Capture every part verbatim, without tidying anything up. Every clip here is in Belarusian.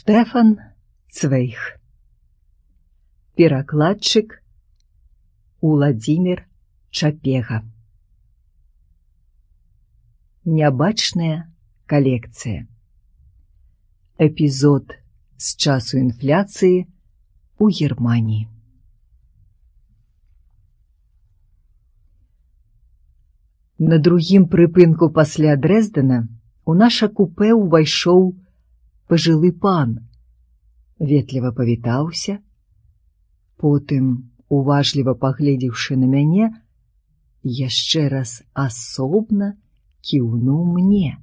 Штэфан Цвейг. Перакладчык Уладзімір Чапега. Нябачная калекцыя. Эпізод з часу інфляцыі у Германіі. На другім прыпынку пасля Дрэздена у наша купэ ўвайшоў пажылы пан, ветліва павітаўся, потым, уважліва пагледзеўшы на мяне, яшчэ раз асобна кіўнуў мне,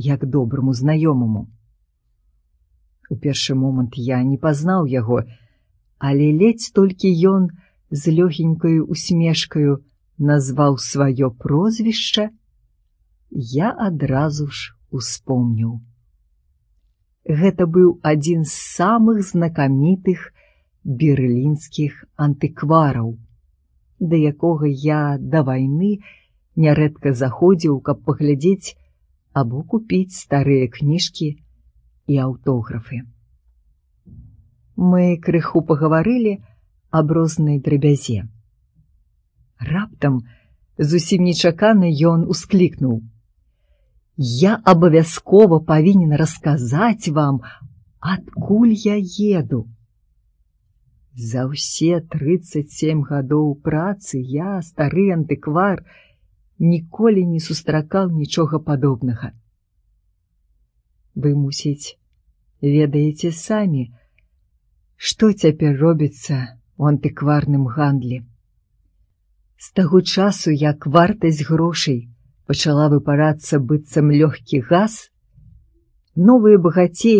як добраму знаёмаму. У першы момант я не пазнаў яго, але ледзь толькі ён з лёгенькаю усмешкаю назваў сваё прозвішча, я адразу ж успомніў. Гэта быў адзін з самых знакамітых берлінскіх антыквараў, да якога я да вайны нярэдка заходзіў, каб паглядзець або купіць старыя кніжкі і аўтографы. Мы крыху пагаварылі аб рознай драбязе. Раптам, зусім нечакана, ён усклікнуў: «Я абавязкова павінен расказаць вам, адкуль я еду». За ўсе трыццаць сем гадоў працы я, стары антыквар, ніколі не сустракаў нічога падобнага. Вы, мусіць, ведаеце самі, што цяпер робіцца ў антыкварным гандлі. З таго часу, як вартасць грошай пачала выпарацца быццам лёгкі газ, новыя багацеі